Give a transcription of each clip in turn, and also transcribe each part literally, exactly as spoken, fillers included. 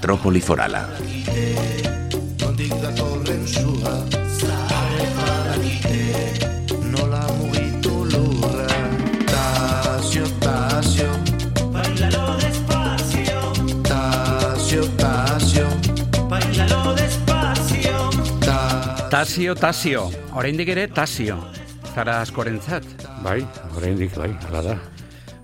metrópoli forala. Tasio, tasio, oraindik ere tasio, zara askorentzat. Bai, oraindik bai, hala da.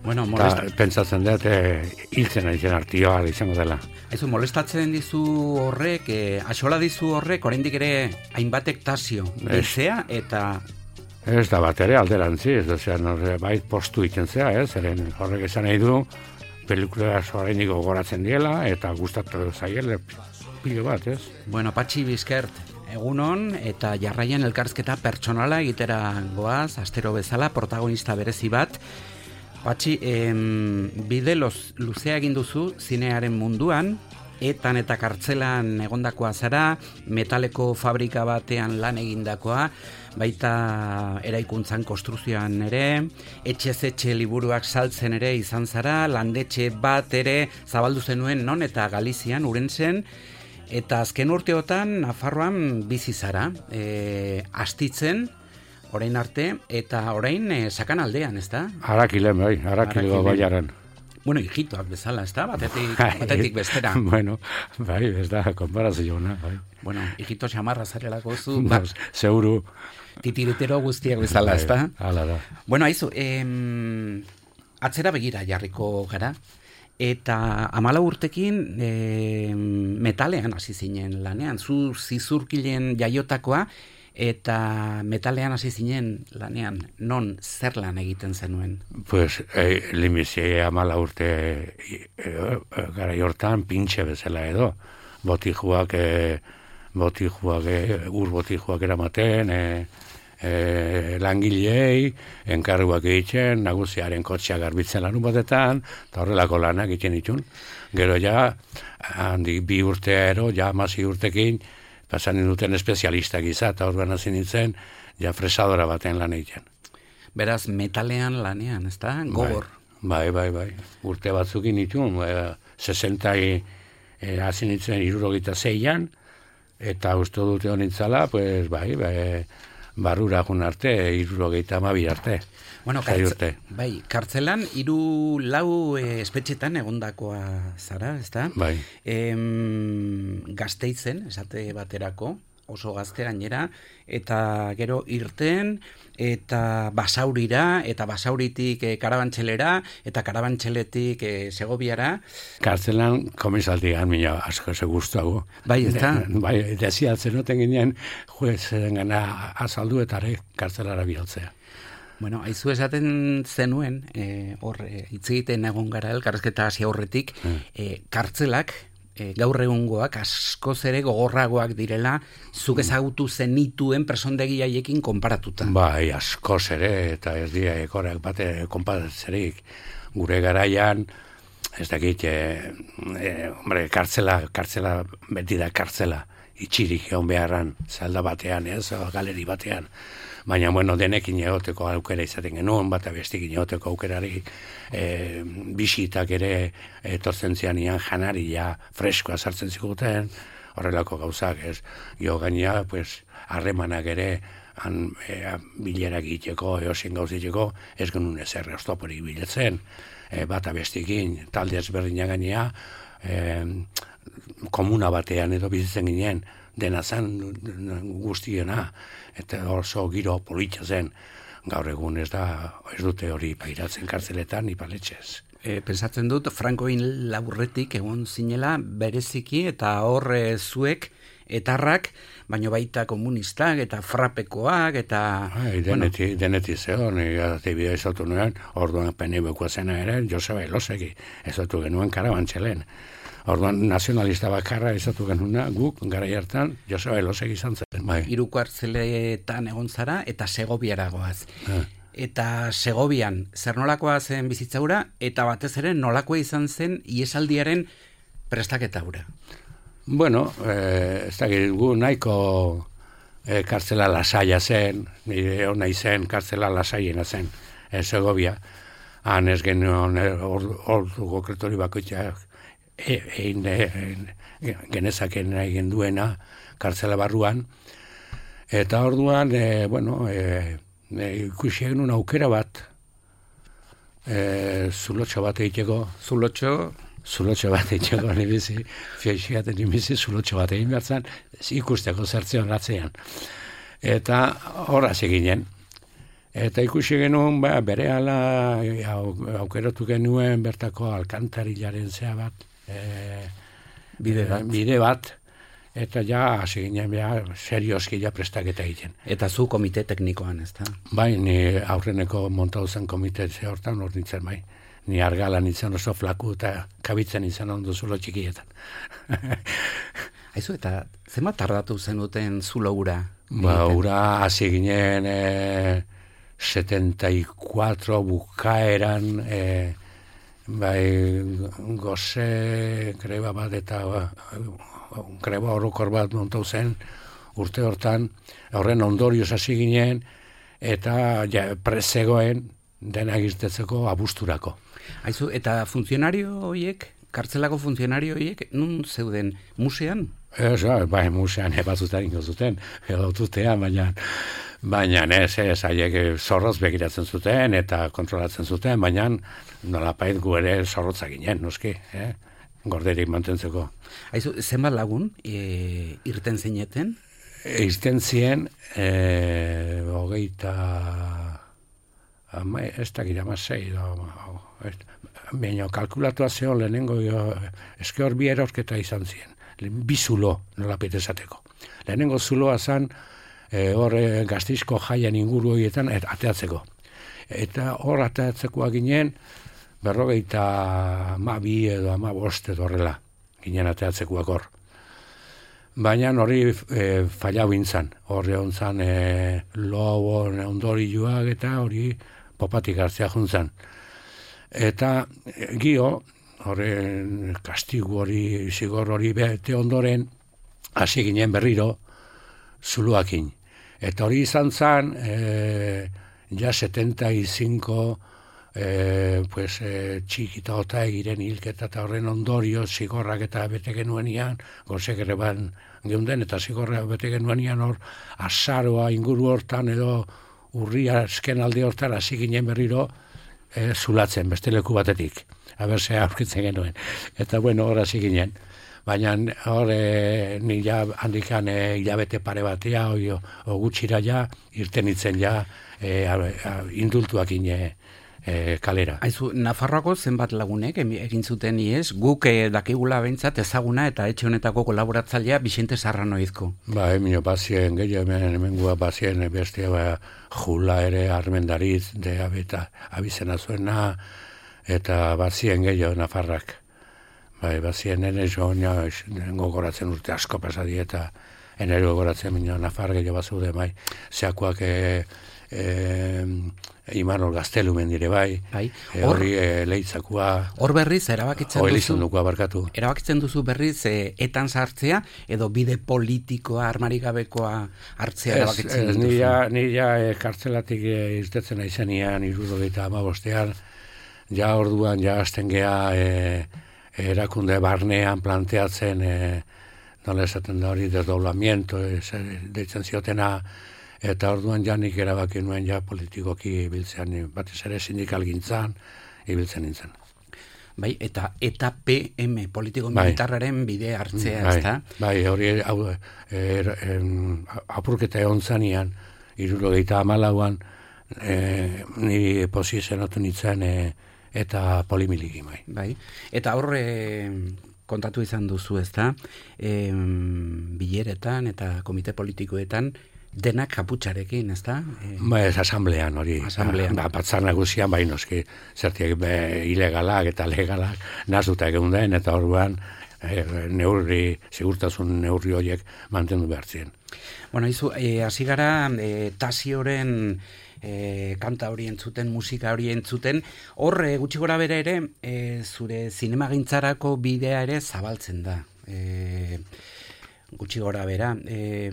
Bueno, molesta... Ta, pentsatzen dut, e, hiltzen aizen artioa izango dela. Ezu, molestatzen dizu horrek, e, axola dizu horrek, oraindik ere hainbatek tasio, hiltzea eta... Ez da bat ere alderantzi, ez da, zean, bai postu iten zea, ez, eren horrek esan nahi du, pelikula oraindik gogoratzen diela, eta gustatu zaiele pilo bat, ez? Bueno, Patxi Bizkert, egunon, eta jarraian elkarrizketa pertsonala egitera goaz, astero bezala, protagonista berezi bat. Patxi, em, bide loz, luzea egin duzu zinearen munduan, etan eta kartzelan egondakoa zara, metaleko fabrika batean lan egindakoa, baita eraikuntzan konstruzioan ere, etxez etxe liburuak saltzen ere izan zara, landetxe bat ere zabaldu zenuen non eta Galizian, Urentzen, eta azken urteotan Nafarroan bizi zara, e, astitzen, orain arte, eta orain e, sakan aldean, ez da? Harakilen, bai, harakilego baiaren. Bueno, hijitoak bezala, ez da? Batetik, batetik bestera. Bueno, bai, ez da, konparazioa, bai. Bueno, hijito xamarra zarelako zu, ba, zeuru. Titiritero guztiak bezala, ez da? Hala da. Bueno, aizu, em, atzera begira jarriko gara, eta amala urtekin e, metalean hasi zinen lanean, zu zizurkilen jaiotakoa, eta metalean hasi zinen lanean, non zer lan egiten zenuen? Pues, e, limizi amala urte e, e, gara hortan pintxe bezala edo, botijuak, e, botijuak, e, ur botijuak eramaten, e, E, langilei, enkarguak egiten, nagusiaren kotxea garbitzen lanun batetan, eta horrelako lanak egiten ditun. Gero ja, handi bi urteero, ja amazi urtekin, pasan duten espezialistak izan, eta horban hasi nintzen, ja fresadora baten lan egiten. Beraz, metalean lanean, ez da? Gogor. Bai, bai, bai. Urte batzukin ditun, e, sesentai e, hasi nintzen hirurogeita zeian, eta uste dute honintzala, pues, bai, bai, barrura jun arte, hirurogeita hamabi arte. Bueno, kartze, bai, kartzelan hiru lau e, espetxetan egondakoa zara, ezta? Bai. Em, Gasteizen, esate baterako, oso gazte gainera, eta gero irten, eta Basaurira, eta Basauritik e, Karabantxelera, eta Karabantxeletik e, Segobiara. Kartzelan komisaldian mina asko ze gustuago. Bai, ezta? Bai, desiatzen noten ginen, juezen gana azaldu eta ere kartzelara bialtzea. Bueno, aizu esaten zenuen, e, hor, e, hitz egiten egon gara elkarrizketa hasi aurretik, e, kartzelak, e, gaur egungoak askoz ere gogorragoak direla, zuk ezagutu zenituen presondegi haiekin konparatuta. Bai, askoz ere, eta ez dira ekorak bate konparatzerik. Gure garaian, ez dakit, e, e, hombre, kartzela, kartzela, beti da kartzela, itxirik egon beharran, zalda batean, ez, galeri batean. Baina, bueno, denekin egoteko aukera izaten genuen, bat abestikin egoteko aukerari, e, bisitak ere etortzen zianian janaria freskoa sartzen ziguten, horrelako gauzak, ez. Gio gaina, pues, harremanak ere, han, e, bilerak egiteko, eosin gauziteko, ez genuen ezer oztoporik biletzen, e, bat abestikin, talde ezberdina gainea, e, komuna batean edo bizitzen ginen, dena zen guztiena, eta oso giro politxa zen, gaur egun ez da, ez dute hori pairatzen kartzeletan, ni paletxez. E, pensatzen dut, Frankoin laburretik egon zinela bereziki, eta hor e, zuek, etarrak, baino baita komunistak, eta frapekoak, eta... Ai, deneti, bueno. deneti zeon, atibidea izatu nuen, orduan penibeko zena ere, Joseba Elosegi, ezatu genuen Karabantxelen. Orduan nazionalista bakarra izatu genuna, guk, gara hartan, Joseba Elosegi izan zen. Bai. Hiru kartzeletan egon zara, eta Segobiara goaz. Ah. Eta Segobian, zer nolakoa zen bizitzaura, eta batez ere nolakoa izan zen iesaldiaren prestaketaura. Bueno, eh, ez da gu nahiko eh, kartzela lasaia zen, nire hona izen kartzela lasaiena zen, eh, Segobia. Han ez genuen ordu konkretori bakoitzak egin e, genezaken egin duena kartzela barruan, eta orduan, e, bueno, e, e, ikusi egin aukera bat, e, zulotxo bat egiteko, Zulotxo, zulotxo bat egiteko nibizi, fiaixigaten nibizi, zulotxo bat egin behar zen, ikusteko zertzean atzean. Eta horraz eginen. Eta ikusi genuen, ba, bere ala au, aukeratu genuen bertako alkantarilaren zea bat, e, bide bat. bide bat, eta ja, hasi ginen, ja, serioski ja prestaketa egiten. Eta zu komite teknikoan, ez da? Bai, ni aurreneko montau zen komite ze hortan hor nintzen, bai. Ni argala nintzen oso flaku eta kabitzen nintzen ondo zulo txikietan. Aizu, eta zenbat tardatu zenuten zulo ura? Ba, ura hasi ginen e, setenta y cuatro bukaeran, e, bai, goze greba bat eta ba, greba orokor bat montau zen urte hortan, horren ondorioz hasi ginen, eta ja, prezegoen dena irtetzeko abusturako. Aizu, eta funtzionario horiek, kartzelako funtzionario horiek, nun zeuden musean? Ez, bai, musean ebatzutan ingo zuten, edo tutean, baina, baina ez, ez, haiek zorroz begiratzen zuten, eta kontrolatzen zuten, baina nolapait gu ere zorrotzak ginen, noski, eh? Gorderik mantentzeko. Aizu, zenbat lagun e, irten zineten? Irten zien, e, hogeita, ama, ez dakit, ama zei, baina kalkulatua zeon lehenengo, eske hor bi erorketa izan zien, bi zulo, nolapait esateko. Lehenengo zuloa zan, e, hor e, Gaztizko jaian inguru horietan et, ateatzeko. Eta hor ateatzekoa ginen, berrogeita ama bi edo ama bost edo horrela, ginen ateatzekoak hor. Baina hori e, fallau intzan, horre ontzan e, lobo ondorioak eta hori popatik hartzea juntzan. Eta e, gio, horre kastigu hori, zigor hori bete ondoren, hasi ginen berriro zuluakin. Eta hori izan zan, e, ja setenta y cinco E, pues, e, txikita ota egiren hilketa eta horren ondorio zigorrak eta bete genuenian, gozek ere ban geunden, eta zigorrak bete genuenian hor azaroa inguru hortan edo urria esken alde hortan hasi ginen berriro e, zulatzen, beste leku batetik, haberse aurkitzen genuen. Eta bueno, hor hasi ginen. Baina hor e, ni ja handikan e, hilabete pare batea, o, o gutxira ja, irten itzen ja, e, a, a, indultuak ine, E, kalera. Aizu, Nafarroako zenbat lagunek egin zuten iez, guk e, dakigula behintzat ezaguna eta etxe honetako kolaboratzailea Bixente Sarranoizko. Ba, emino bazien, gehiago hemen hemengua bazien bestia, ba, jula ere armendariz, de abeta, abizena zuena, eta bazien gehiago Nafarrak. Bai, bazien nene joan, gogoratzen urte asko pasadi, eta enero gogoratzen minio Nafar gehiago bazude, bai, zeakoak e, e, Imanol Gaztelumen dire bai, bai. E, hori e, leitzakua. Hor berriz, erabakitzen duzu. Elizondukua barkatu. Erabakitzen duzu berriz, e, etan sartzea, edo bide politikoa, armarik gabekoa hartzea erabakitzen duzu. Nira, nira e, kartzelatik e, irtetzen aizenian, irurogeita amabostean, ja orduan, ja azten geha e, erakunde barnean planteatzen, e, nola esaten da hori, desdoblamiento, e, deitzen ziotena, eta orduan janik erabaki nuen ja politikoki ibiltzean, batez ere sindikal gintzan, ibiltzen nintzen. Bai, eta eta P M, politiko militarraren bide hartzea, bai, ezta? Bai, hori hau, er, em, apurketa egon zanean, hirurogeita hamalauan, e, niri posizionatu nintzen, e, eta polimiliki, bai. Bai, eta hor e, kontatu izan duzu, ezta? E, bileretan eta komite politikoetan, denak kaputxarekin, ez da? E... Ba, ez asamblean hori. Asamblean. Ba, batzar nagusian, bai noski, zertiak be, ilegalak eta legalak nazuta egun den, eta orduan e, neurri, segurtasun neurri horiek mantendu behar ziren. Bueno, izu, hasi e, gara, e, Tasioren e, kanta hori entzuten, musika hori entzuten, hor, e, gutxi gora bere ere, e, zure zinemagintzarako bidea ere zabaltzen da. E, gutxi gora bera. E,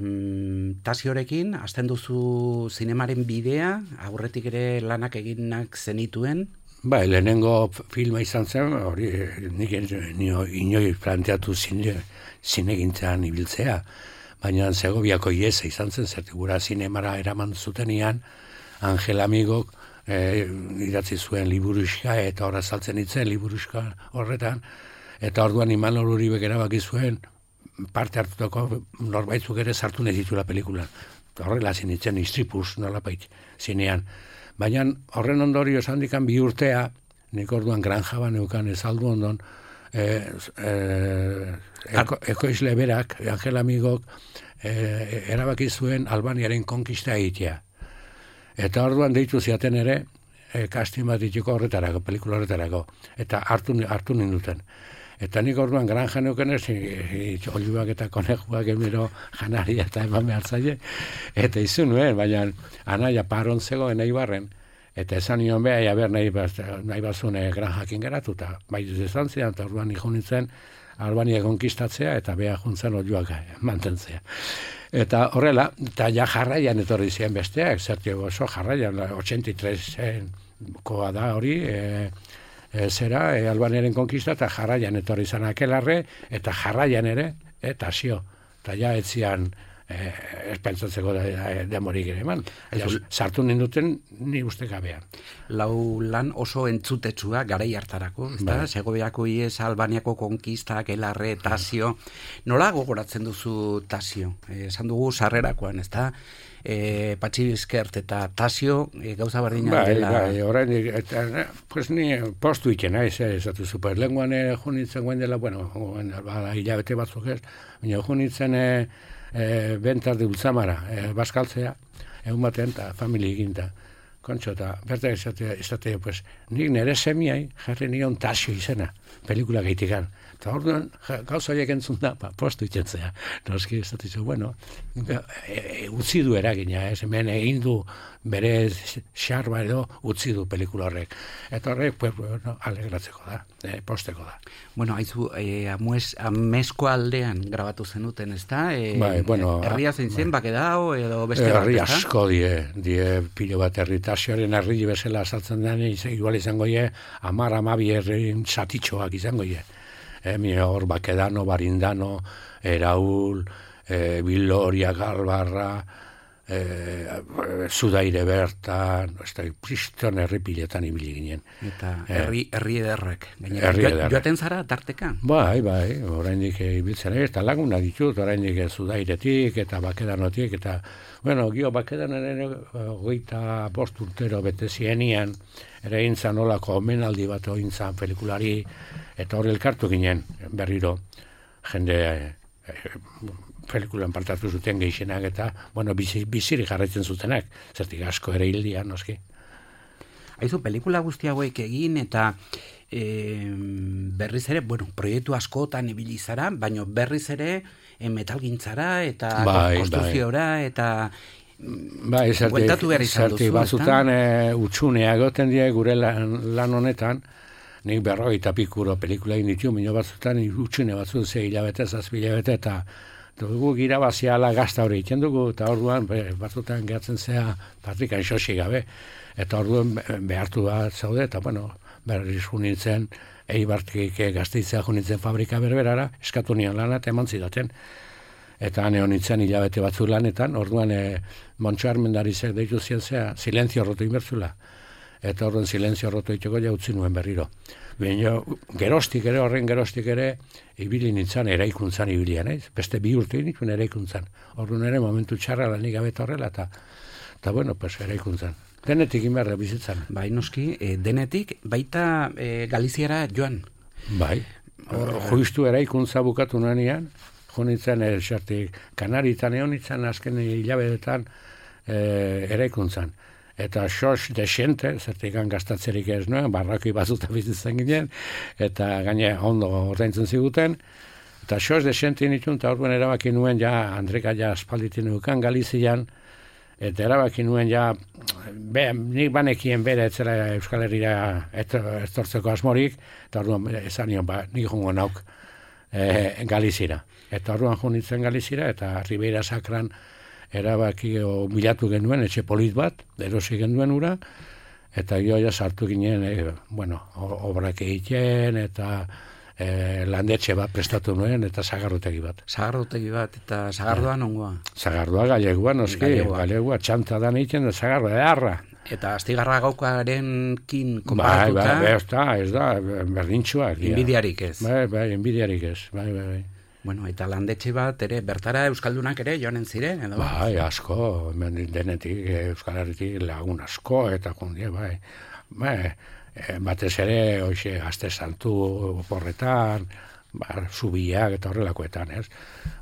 Tasiorekin, hasten duzu zinemaren bidea, aurretik ere lanak eginak zenituen? Bai, lehenengo filma izan zen, hori nik inoi planteatu zine, zinegintzan ibiltzea, baina Segoviako iesa izan zen, zerti gura zinemara eraman zutenian, Angel Amigok e, idatzi zuen liburuska, eta horra saltzen itzen liburuska horretan, eta orduan Imanol Uribek erabaki zuen, parte hartutako norbaitzuk ere sartu nahi ditula pelikulan. Horrela zinitzen istripuz nolapait zinean. Baina horren ondorio esan dikan bi urtea, nik orduan granja baneukan ezaldu ondon, e, e, eko, ekoizle berak, Angel Amigok, e, erabaki zuen Albaniaren konkista egitea. Eta orduan deitu ziaten ere, e, kastin bat dituko horretarako, pelikula horretarako. Eta hartu, hartu ninduten. Eta nik orduan granja neuken ez, oliuak eta konejuak emiro janaria eta eman behar zaie. Eta izun nuen, baina anaia paron zegoen nahi barren. Eta esan nion beha, ja ber nahi, nahi bazune granjakin geratuta. Bai izan zian, eta orduan niko nintzen Albania konkistatzea eta beha juntzen oliuak mantentzea. Eta horrela, eta ja jarraian etorri ziren besteak, zertio oso jarraian, ochenta y tres koa da hori, e, E, zera, e, Albaniaren konkista, eta jarraian etorri izan akelarre, eta jarraian ere, eta zio. Eta ja etzian e, espentsatzeko de, demorik ere eman. Ja, sartu ninduten ni uste gabean. Lau lan oso entzutetsua garai hartarako, ezta? Segoviako ies, Albaniako konkista, akelarre, Tasio. Nola gogoratzen duzu Tasio? E, esan dugu sarrerakoan, ezta? E, Patxi Bizkert eta Tasio e, gauza berdina bai, dela. Bai, orain, eta, pues ni postu iken, naiz, esatu super. Lenguan e, junitzen guen dela, bueno, bada hilabete batzuk ez, baina junitzen e, e, bentar de Ultzamara, e, baskaltzea, egun batean, eta familia eginta. Kontxo, eta berta esate, esate, pues, nik nire semiai jarri nion Tasio izena, pelikula gaitikan. Eta orduan, gauza horiek entzun da, ba, postu itxentzea. Noski, ez dut izu, bueno, e, e, utzi du eragina, ez, hemen egin du bere xarba edo utzi du pelikula horrek. Eta horrek, pues, bueno, alegratzeko da, e, posteko da. Bueno, haizu, e, amuez, amesko aldean grabatu zenuten, ez da? E, bai, bueno. Herria zein zen, bai. Bakedao, edo beste bat, herri asko die, die pilo bat herri, Tasioaren herri bezala saltzen den, igual izango ie, amar, amabi herrin satitxoak izango ie. Eh, hor Bakedano, Barindano, Eraul, eh, Biloria, Galbarra, eh, Zudaire bertan, ez da, priston herripiletan ibili ginen. Eta herri, herri ederrek. Herri ederrek. Joaten zara, tarteka? Bai, bai, oraindik ibiltzen ez, eta laguna ditut, oraindik Zudairetik, eta Bakedanotik, eta, bueno, gio Bakedanen ere hogeita bost urtero bete zienian, ere intzan olako omenaldi bat ointzan pelikulari, eta hori elkartu ginen berriro jende e, pelikulan partatu zuten gehienak eta bueno, bizi, biziri jarraitzen zutenak, zertik asko ere hildia, noski. Aizu, pelikula guzti hauek egin eta e, berriz ere, bueno, proiektu askotan ibili zara, baina berriz ere e, metalgintzara eta bai, konstruziora bai. eta bai, zertik, bueltatu behar izan duzu. Zertik batzutan e, utxunea goten die gure lan, lan honetan, nik berrogeita pikuro pelikula egin ditu, minio batzutan utxune batzu ze hilabete, zazpi hilabete, eta dugu irabaziala gazta hori egiten dugu, eta orduan batzutan gehatzen zea patrikan xosi gabe, eta orduan behartu bat zaude, eta bueno, berriz junintzen, Eibartik Gasteitzea junintzen fabrika berberara, eskatu nian lana, eta eman zidaten. Eta hane honitzen hilabete batzu lanetan, orduan e, Montxo Armendarizek deitu zientzea, silenzio roto inbertzula. Eta horren silenzio roto itxeko ja utzi nuen berriro. Baina gerostik ere, horren gerostik ere, ibili nintzen eraikuntzan ibilian, ez? Beste bi urte nituen eraikuntzan. Horren ere momentu txarra lanik gabe horrela, eta, eta bueno, pues eraikuntzan. Denetik inberre bizitzan. Bai, noski, e, denetik, baita e, Galiziara joan. Bai, juistu eraikuntza bukatu nanean, jo nintzen, esartik, Kanaritan egon nintzen, azken hilabetetan e, eraikuntzan. Eta sos desente, zertikan gastatzerik ez nuen, barrakoi bazuta bizitzen ginen, eta gaine ondo ordaintzen ziguten, eta sos desente nituen, eta orduan erabaki nuen ja, Andreka ja aspalditin nukan Galizian, eta erabaki nuen ja, be, nik banekien bere etzela Euskal Herria etortzeko asmorik, eta orduan esan nion, ba, nik jongo nauk e, Galizira. Eta orduan jo nintzen Galizira, eta Ribeira Sakran erabaki o bilatu genuen etxe polit bat, erosi genuen ura, Eta jo ja sartu ginen, e, bueno, obrak egiten, eta e, landetxe bat prestatu nuen, eta sagarrotegi bat. Sagarrotegi bat, eta sagardoa nongoa? Sagardoa galegua, noski, galegua, galegua txanta dan egiten, da sagardoa, edarra. Eta astigarra gaukaren kin konparatuta? Bai, bai, ez da, ez da, berdintxua. Inbidiarik ez? Bai, bai, inbidiarik ez, bai, bai, bai. Bueno, eta landetxe bat ere, bertara euskaldunak ere joanen ziren, edo? Bai, asko, denetik, Euskal Herritik lagun asko, eta kundie, bai. Bai, batez ere, hoxe, Gazte Santu oporretan, bar, zubiak eta horrelakoetan, ez?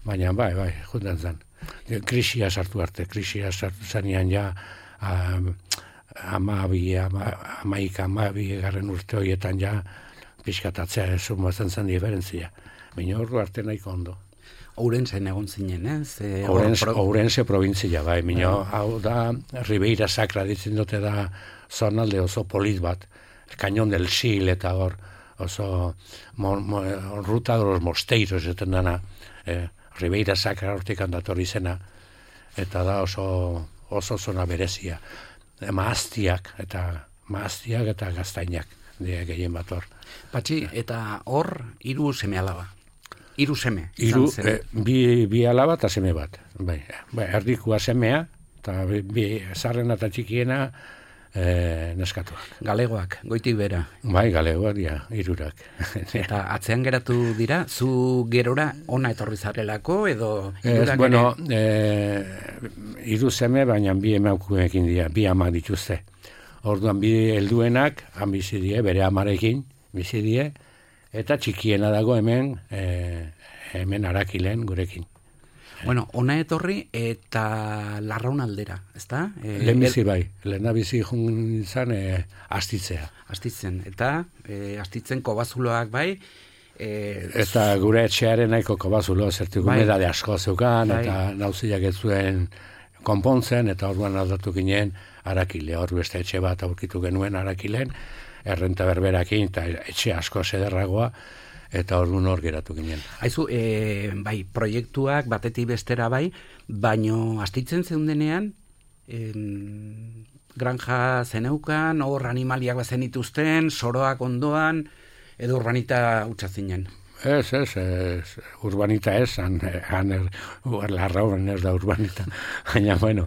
Baina, bai, bai, juntan zen. Krisia sartu arte, krisia sartu zanean ja, um, amabi, ama, amaik, amabi, garren urte horietan ja, pixkatatzea ez zumazen zen diferentzia. Baina horru arte nahiko ondo. Ourensen egon zinen, ez? E, Ourense, pro... Ourense provintzia, bai. Mino, hau da, Ribeira Sacra ditzen dute da zonalde oso polit bat. Cañón del Sil eta hor, oso mo, mo, ruta de los mosteiros, eten dana, eh, Ribeira Sacra hortik handatorri zena, eta da oso, oso zona berezia. E, maaztiak, eta maaztiak eta gaztainak, die gehien bat hor. Patxi, eta hor, hiru seme alaba. Hiru seme. Hiru, eh, bi, bi alaba eta seme bat. Bai, bai, erdikua semea, eta bi, bi zarrena eta txikiena eh, neskatuak. Galegoak, goitik bera. Bai, galegoak dira, hirurak. Eta atzean geratu dira, zu gerora ona etorri zarelako, edo... Ez, bueno, eh, hiru seme, baina bi emaukuekin dira, bi amak dituzte. Orduan bi helduenak, han bizi die, bere amarekin, bizi die, eta txikiena dago hemen, e, hemen Arakilen gurekin. Bueno, ona etorri eta Larraun aldera, ezta? E, Lehen bizi bai, lehena bizi jun izan e, astitzea. Astitzen, eta e, astitzen kobazuloak bai, e, eta gure etxearen nahiko kobazulo, zertik bai, humedade asko zeukan, bai, eta nauziak ez zuen konpontzen, eta orduan aldatu ginen Arakile, hor beste etxe bat aurkitu genuen Arakilen, errenta berberakin, eta etxe asko sederragoa, eta orduan hor geratu ginen. Haizu, e, bai, proiektuak batetik bestera bai, baino astitzen zeundenean, em, granja zeneukan, hor animaliak bazen ituzten, soroak ondoan, edo urbanita utxazinen. Ez, ez, ez, urbanita ez, han, han er, Larraun ez da urbanita, baina, bueno,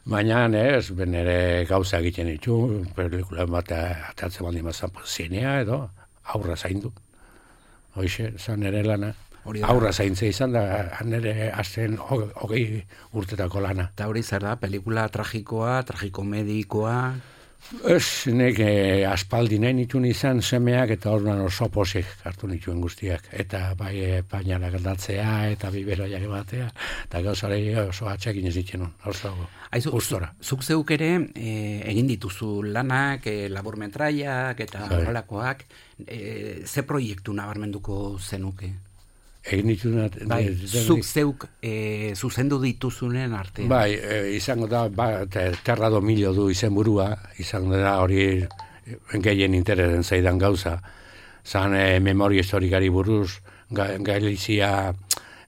baina ez, ben ere gauza egiten ditu, pelikula bat atatzen baldin bazan zinea edo, aurra zaindu. Hoxe, zan ere lana, aurra zaintze izan da, han ere azten hogei urtetako lana. Eta hori zer da, pelikula tragikoa, tragikomedikoa... Ez, nek eh, aspaldi nahi nituen izan semeak eta orduan oso posik hartu nituen guztiak. Eta bai e, painalak aldatzea eta biberoiak batea. Eta gauzare oso atxekin ez ditzen oso gustora. Zuk zeuk ere e, egin dituzu lanak, e, laburmetraiak eta horrelakoak. E, ze proiektu nabarmenduko zenuke? Egin dituna... Bai, zuk zeuk e, zuzendu dituzunen artean. Bai, e, izango da, ba, terra domilio du izenburua, izango da hori gehien interesen zaidan gauza. Zan e, memoria historikari buruz, ga, Galizia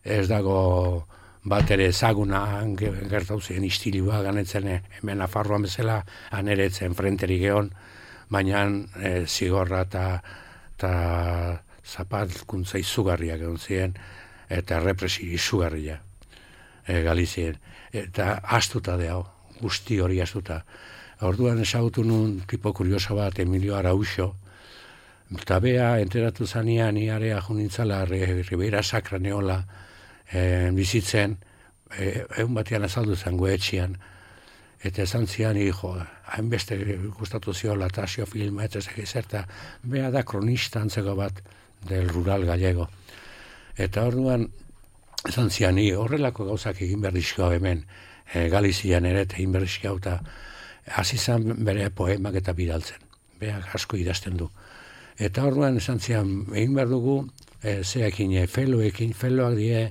ez dago bat ere ezaguna gertau zen istilua ganetzen hemen Nafarroan bezala, aneretzen frenterik egon, baina e, zigorra eta zapalkuntza izugarriak egon ziren, eta represi izugarria e, Galizien. Eta astuta deo, guzti hori astuta. Orduan esagutu nun tipo kurioso bat, Emilio Arauxo, eta bea enteratu zanean iarea junintzala Ribeira Sacra neola e, bizitzen, e, egun batean azaldu zen goetxian, eta esan zian, hijo, hainbeste gustatu ziola Tasio filma, eta zerta, bea da kronista antzeko bat, del rural gallego. Eta orduan, esan zian, horrelako gauzak egin berdizkoa hemen, e, Galizian ere, eta egin berdizkoa, eta hasi zan bere poemak eta bidaltzen. Beak asko idazten du. Eta orduan, esan zian, egin behar dugu, e, zeakin, e, feloekin, feloak die,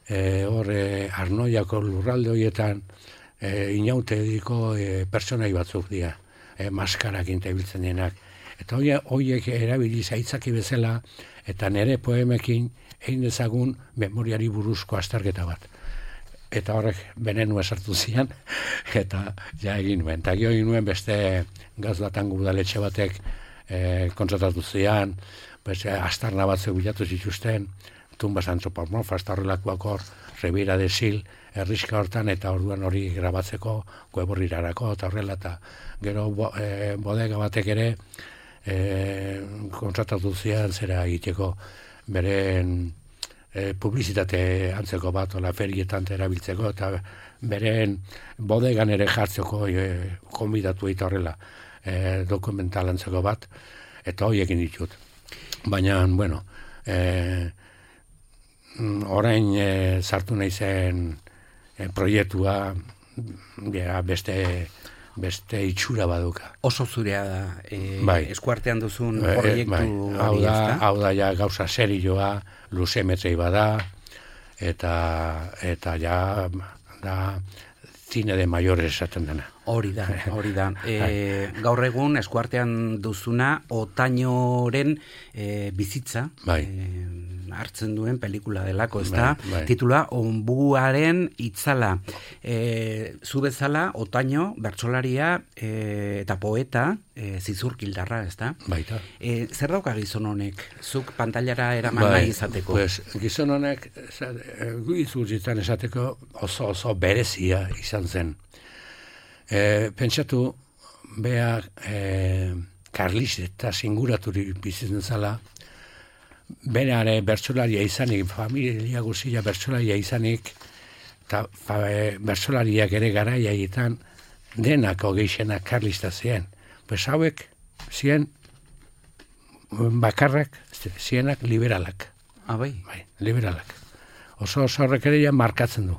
e, horre, Arnoiako lurralde horietan, e, inaute ediko e, personai batzuk dira, e, maskarakin tebiltzen denak. Eta horiek erabili zaitzaki bezala, eta nire poemekin egin dezagun memoriari buruzko azterketa bat. eta horrek benenua sartu zian, eta ja egin nuen. Eta gio egin nuen beste gaz batan gudaletxe batek e, kontratatu zian, beste astarna batzuk bilatu zituzten, tumbas antropomorfas, eta horrelakoak hor, Ribera de Sil, herriska hortan, eta orduan hori grabatzeko, Gueborrirarako, eta horrela, eta gero bo, e, bodega batek ere e, kontratatu zian zera egiteko beren e, publizitate antzeko bat, ola ferietan erabiltzeko, eta beren bodegan ere jartzeko e, konbidatu eta horrela e, dokumental antzeko bat, eta hori egin ditut. Baina, bueno, e, orain e, sartu nahi zen e, proiektua ja, beste beste itxura baduka. Oso zurea da, e, bai. eskuartean duzun proiektu bai. Hau hori, da, ezta? hau da ja gauza serioa, luzemetrei bada, eta eta ja da cine de mayores esaten dena. Hori da, hori da. E, gaur egun eskuartean duzuna Otañoren e, bizitza Bai. e, hartzen duen pelikula delako, ezta? Bai, bai. Titula Onbuaren itzala. E, zu bezala Otaño bertsolaria e, eta poeta e, zizurkildarra, ezta? Baita. E, zer dauka gizon honek? Zuk pantailara eraman Bai, nahi izateko? Pues, gizon honek guizurzitan esateko oso oso berezia izan zen. E, pentsatu, bea e, Karlis eta singuraturik bizitzen zala, berare bertsolaria izanik, familia guztia bertsolaria izanik, eta e, bertsolariak ere garaiaietan denak hogeixenak Karlista ziren. Pues hauek ziren bakarrak, zienak liberalak. Ah, bai? Bai, liberalak. Oso oso horrek ere ja markatzen du.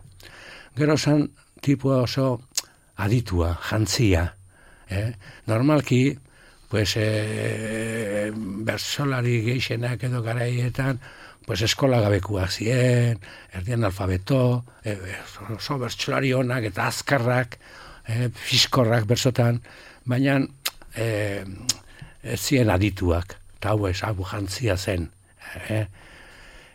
Gero zan tipua oso aditua, jantzia. Eh? Normalki, pues, eh, bertsolari geixenak edo garaietan, pues, eskola gabekuak ziren, erdian alfabeto, eh, oso bertsolari honak eta azkarrak, eh, fiskorrak bertsotan, baina eh, ez ziren adituak, eta hau ez, hau jantzia zen. Eh?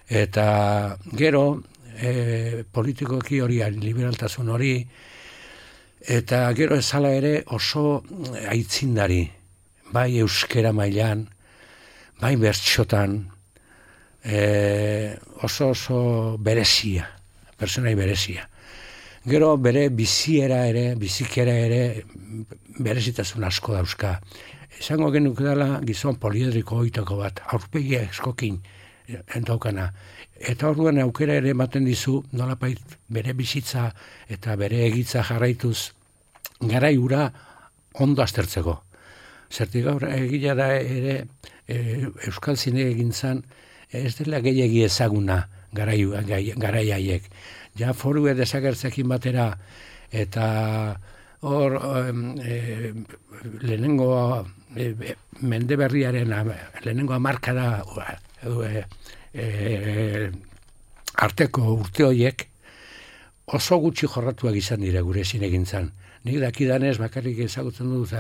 Eta gero, e, politikoki hori, liberaltasun hori, eta gero ezala ere oso aitzindari, bai euskera mailan, bai bertxotan, e, oso oso berezia, personai berezia. Gero bere biziera ere, bizikera ere, berezitasun asko dauzka. Esango genuke dela gizon poliedriko oitako bat, aurpegia eskokin, endaukana. Eta orduan aukera ere ematen dizu, nolapait bere bizitza eta bere egitza jarraituz garai hura ondo aztertzeko. Zertik gaur egila da ere e, Euskal Zine egintzan ez dela gehiagi ezaguna garai, garai haiek. Ja foru desagertzekin batera eta hor e, lehenengo e, mende berriaren lehenengo hamarkada e, e, arteko urte horiek oso gutxi jorratuak izan dira gure zinegintzan. Nik dakidanez bakarrik ezagutzen dut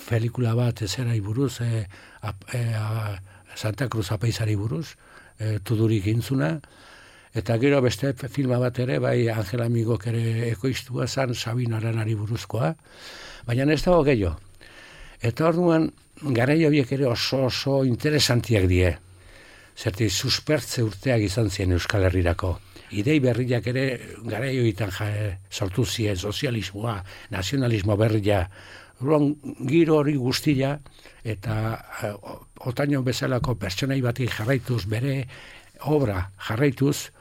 pelikula bat ezerai buruz, e, a, e, a, Santa Cruz apaizari buruz, e, tudurik intzuna, eta gero beste filma bat ere, bai Angel Amigok ere ekoiztua zan Sabin Aranari buruzkoa, baina ez dago gehiago. Eta orduan, garai horiek ere oso oso interesantiak die. Zerti, suspertze urteak izan ziren Euskal Herrirako. Idei berriak ere garai horietan sortu ziren, sozialismoa, nazionalismo berria, orduan giro hori guztia, eta uh, Otaño bezalako pertsonai bati jarraituz, bere obra jarraituz,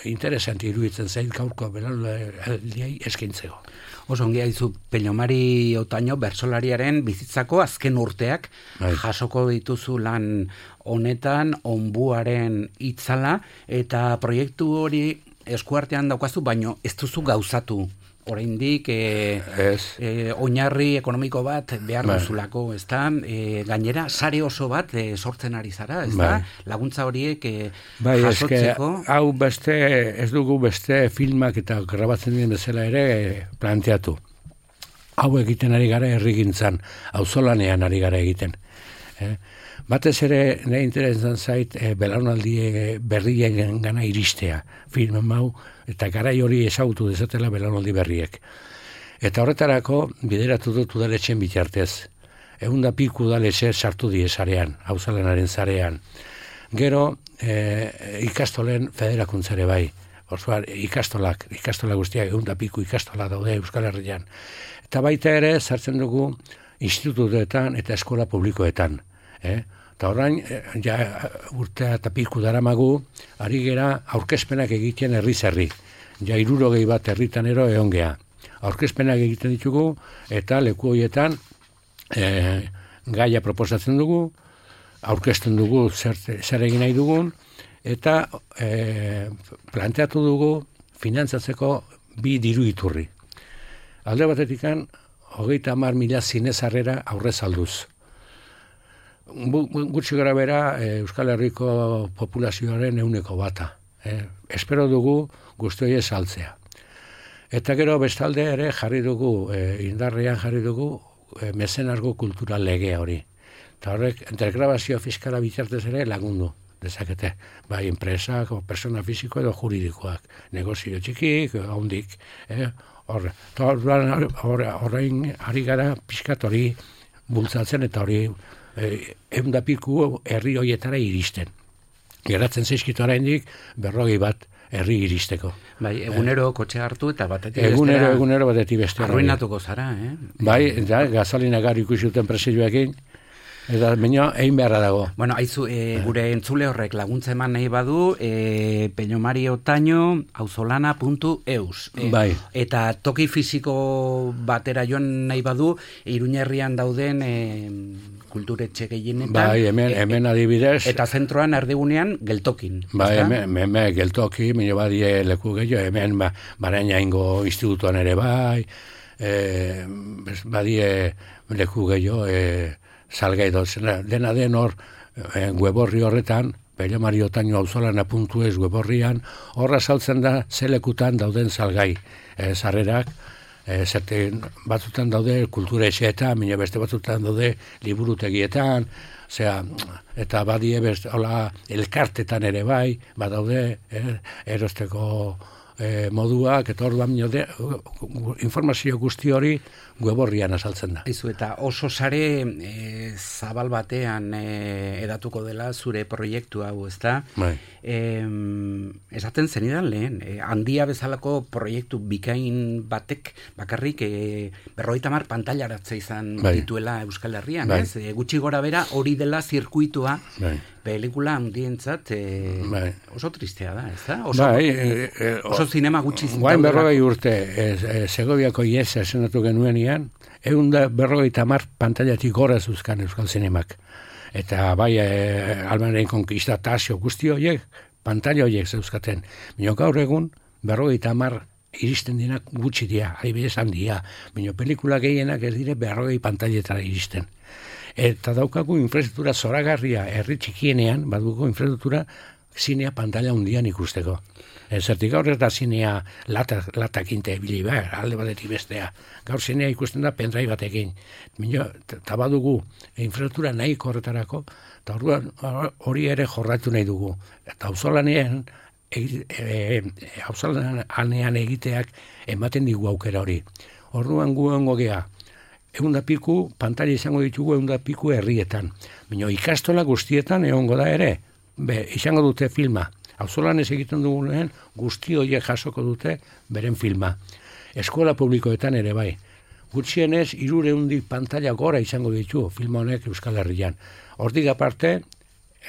interesanti iruditzen zait gaurko belauldiei eskaintzeko. Oso ongi haizu, Peñomari Otaño bertsolariaren bizitzako azken urteak Bai. jasoko dituzu lan honetan, Onbuaren itzala, eta proiektu hori eskuartean daukazu, baino ez duzu gauzatu. Oraindik e, e, oinarri ekonomiko bat behar Bai. duzulako, ezta? E, gainera, sare oso bat e, sortzen ari zara, ezta? Bai. Laguntza horiek e, bai, jasotzeko. Eske, hau beste, ez dugu beste filmak eta grabatzen diren bezala ere planteatu. Hau egiten ari gara herrigintzan, auzolanean ari gara egiten. Eh? Batez ere, nahi interesan zait, e, belaunaldi berrien gana iristea, film hau, eta garai hori ezagutu dezatela belaunaldi berriek. Eta horretarako, bideratu dut udaletxen bitartez. Egun da piku udaletxe sartu die zarean, auzolanaren zarean. Gero, e, ikastolen federakuntzare bai. Orduan, ikastolak, ikastola guztiak, egun da piku ikastola daude Euskal Herrian. Eta baita ere, sartzen dugu institutuetan eta eskola publikoetan. Eh? Eta orain, ja, urtea eta piku daramagu, ari gera aurkezpenak egiten herri-zerri. Ja, hirurogei bat herritanero egon gea. Aurkezpenak egiten ditugu, eta leku horietan e, gaia proposatzen dugu, aurkezten dugu zer, zer egin nahi dugun, eta e, planteatu dugu finantzatzeko bi diru iturri. Alde batetikan, hogeita hamar mila zinezarrera aurrez alduz. Gutxi gara bera Euskal Herriko populazioaren euneko bata. Eh? Espero dugu guztioie saltzea. Eta gero bestalde ere jarri dugu, e, indarrean jarri dugu, e, mezenargo kultural legea hori. Eta horrek, intergrabazio fiskala bitartez ere lagundu dezakete. Bai, enpresak, persona fisiko edo juridikoak. Negozio txikik, hondik. Eh? Horre, horrein ari gara pixkat hori bultzatzen eta hori eh, eundapiku herri horietara iristen. Geratzen zaizkitu oraindik berrogei bat herri iristeko. Bai, egunero kotxe hartu eta batetik egunero, bestera. Egunero batetik bestera. Arruinatuko zara, eh? Bai, da, gazalina gar ikusuten presioekin. Eta baina egin beharra dago. Bueno, aizu, e, gure entzule horrek laguntza eman nahi badu, e, Peñomari Otaño, auzolana puntu eus. E, bai. Eta toki fisiko batera joan nahi badu, Iruñerrian dauden e, kulturetxe gehienetan. Bai, hemen, hemen adibidez. Eta zentroan erdigunean geltokin. Bai, hemen, hemen geltoki, mino badie leku gehiago, hemen ba, baraina ingo institutuan ere bai, e, badie leku gehiago, e, salgai dozena, dena den hor, e, weborri horretan, Peñomari Otaño auzolana puntu eus weborrian, horra saltzen da zelekutan dauden salgai e, sarrerak, e, zerten batzutan daude kultura etxeetan, mino beste batzutan daude liburutegietan, osea, eta badie beste, hola, elkartetan ere bai, badaude, e, erosteko e, moduak, eta orduan de, informazio guzti hori weborrian azaltzen da. Aizu, eta oso sare e, zabal batean e, edatuko dela zure proiektu hau, ezta? Bai. E, esaten zenidan lehen, e, handia bezalako proiektu bikain batek bakarrik e, berrogeita hamar pantailaratze izan bai. dituela Euskal Herrian, bai. ez? E, gutxi gora bera hori dela zirkuitua, bai. pelikula handientzat e, bai. oso tristea da, ezta? Oso, bai, e, e, oso zinema gutxi zintzen. Guain berrogei urte, e, e, Segoviako iesa esenatu genuenian, egun da berrogeita hamar pantailatik gora zuzkan Euskal Zinemak. Eta bai, e, Almanaren konkista tasio guzti horiek, pantaila horiek zeuzkaten. Bino gaur egun, berrogeita hamar iristen dinak gutxi dira, adibidez handia. Bino pelikula gehienak ez dire berrogei pantailetara iristen. Eta daukagu infrastruktura zoragarria herri txikienean, badugu infrastruktura zinea pantaila hundian ikusteko. Zertik gaur ez da zinea latak, latak inte ebili behar, alde batetik bestea. Gaur zinea ikusten da pendrai batekin. Eta badugu infrastruktura nahi horretarako, eta hori ere jorratu nahi dugu. Eta auzolanean, auzolanean egiteak ematen digu aukera hori. Orduan gu hongo gea, egun da piku, pantaila izango ditugu egun da piku herrietan. Bino ikastola guztietan egongo da ere, be, izango dute filma. Auzolan ez egiten dugunean, guzti horiek jasoko dute beren filma. Eskola publikoetan ere bai. Gutxienez, hirurehundik pantaila gora izango ditu filma honek Euskal Herrian. Hortik aparte,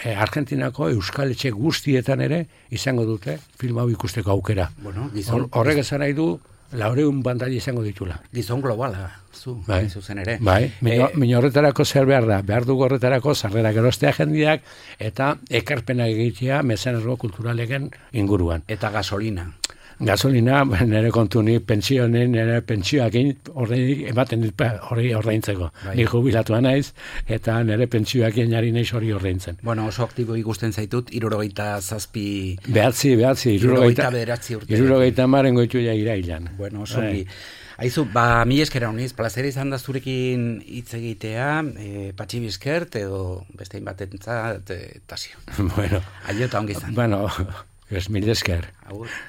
eh, Argentinako Euskal Etxe guztietan ere izango dute filma hau ikusteko aukera. Bueno, gizon, Horrek esan nahi du, laureun pantaila izango ditula. Gizon globala, zu, bai. zuzen ere. Bai, mino, e, mino horretarako zer behar da, behar dugu horretarako sarrerak erostea jendiak eta ekarpenak egitea mezenargo kulturalegen inguruan. Eta gasolina. gasolina, nire kontu ni pensionen, nire pentsioakin horrein ematen dit hori ordaintzeko. Bai. Ni jubilatua naiz, eta nire pentsioakin jari naiz hori ordaintzen. Bueno, oso aktibo ikusten zaitut, irurogeita zazpi... Behatzi, behatzi, irurogeita... bederatzi urte. Irurogeita maren goitu ja irailan. Bueno, oso bi. Aizu, ba, mi eskera honiz, plazera izan da zurekin hitz egitea, e, Patxi Bizkert, edo bestein batentzat, e, tasio. Bueno. Aio eta ongi izan. Bueno, ez mil esker. Agur.